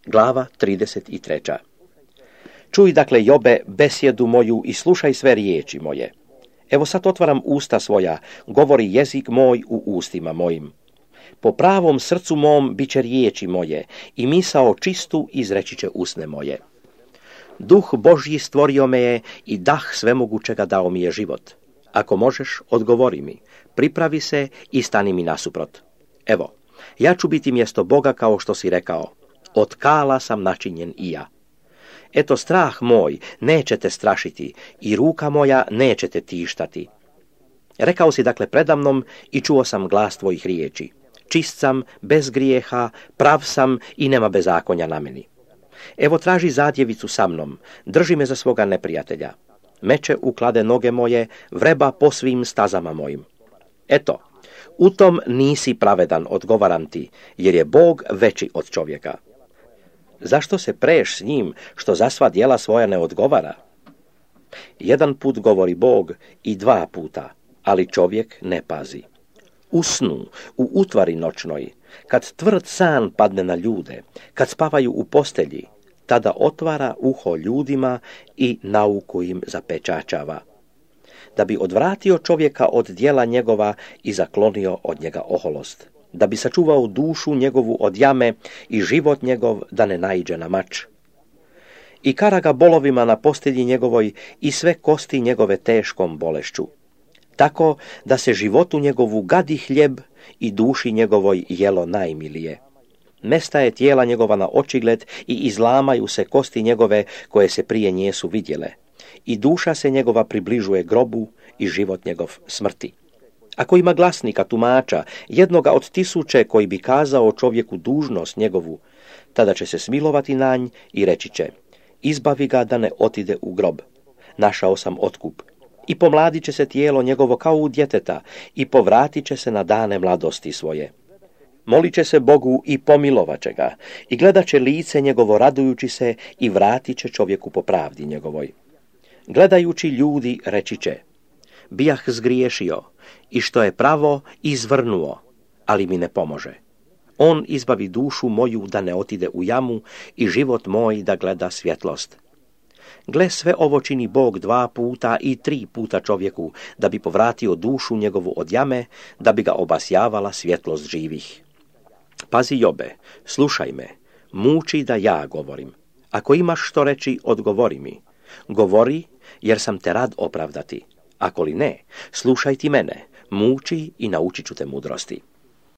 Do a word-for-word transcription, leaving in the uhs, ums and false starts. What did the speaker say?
Glava trideset tri. Čuj dakle, Jobe, besjedu moju i slušaj sve riječi moje. Evo sad otvaram usta svoja, govori jezik moj u ustima mojim. Po pravom srcu mom bit će riječi moje i misao čistu izreći će usne moje. Duh Božji stvorio me je i dah svemogućega dao mi je život. Ako možeš, odgovori mi, pripravi se i stani mi nasuprot. Evo, ja ću biti mjesto Boga kao što si rekao. Od kala sam načinjen i ja. Eto, strah moj neće te strašiti i ruka moja neće te tištati. Rekao si dakle predamnom i čuo sam glas tvojih riječi. Čist sam, bez grijeha, prav sam i nema bezakonja na meni. Evo traži zadjevicu sa mnom, drži me za svoga neprijatelja. Meče uklade noge moje, vreba po svim stazama mojim. Eto, u tom nisi pravedan, odgovaram ti, jer je Bog veći od čovjeka. Zašto se preš s njim, što za sva djela svoja ne odgovara? Jedan put govori Bog i dva puta, ali čovjek ne pazi. U snu, u utvari noćnoj, kad tvrd san padne na ljude, kad spavaju u postelji, tada otvara uho ljudima i nauku im zapečačava, da bi odvratio čovjeka od djela njegova i zaklonio od njega oholost, da bi sačuvao dušu njegovu od jame i život njegov da ne naiđe na mač. I kara ga bolovima na postelji njegovoj i sve kosti njegove teškom bolešću, tako da se životu njegovu gadi hljeb i duši njegovoj jelo najmilije. Nestaje tijela njegova na očigled i izlamaju se kosti njegove koje se prije njesu vidjele. I duša se njegova približuje grobu i život njegov smrti. Ako ima glasnika, tumača, jednoga od tisuće koji bi kazao čovjeku dužnost njegovu, tada će se smilovati na nj i reći će, izbavi ga da ne otide u grob. Našao sam otkup. I pomladit će se tijelo njegovo kao u djeteta i povratit će se na dane mladosti svoje. Molit će se Bogu i pomilovat će ga i gledat će lice njegovo radujući se i vratit će čovjeku po pravdi njegovoj. Gledajući ljudi reći će, bijah zgriješio i što je pravo izvrnuo, ali mi ne pomože. On izbavi dušu moju da ne otide u jamu i život moj da gleda svjetlost. Gle, sve ovo čini Bog dva puta i tri puta čovjeku, da bi povratio dušu njegovu od jame, da bi ga obasjavala svjetlost živih. Pazi, Jobe, slušaj me, muči da ja govorim. Ako imaš što reći, odgovori mi. Govori, jer sam te rad opravdati. Ako li ne, slušaj ti mene, muči i naučit ću te mudrosti.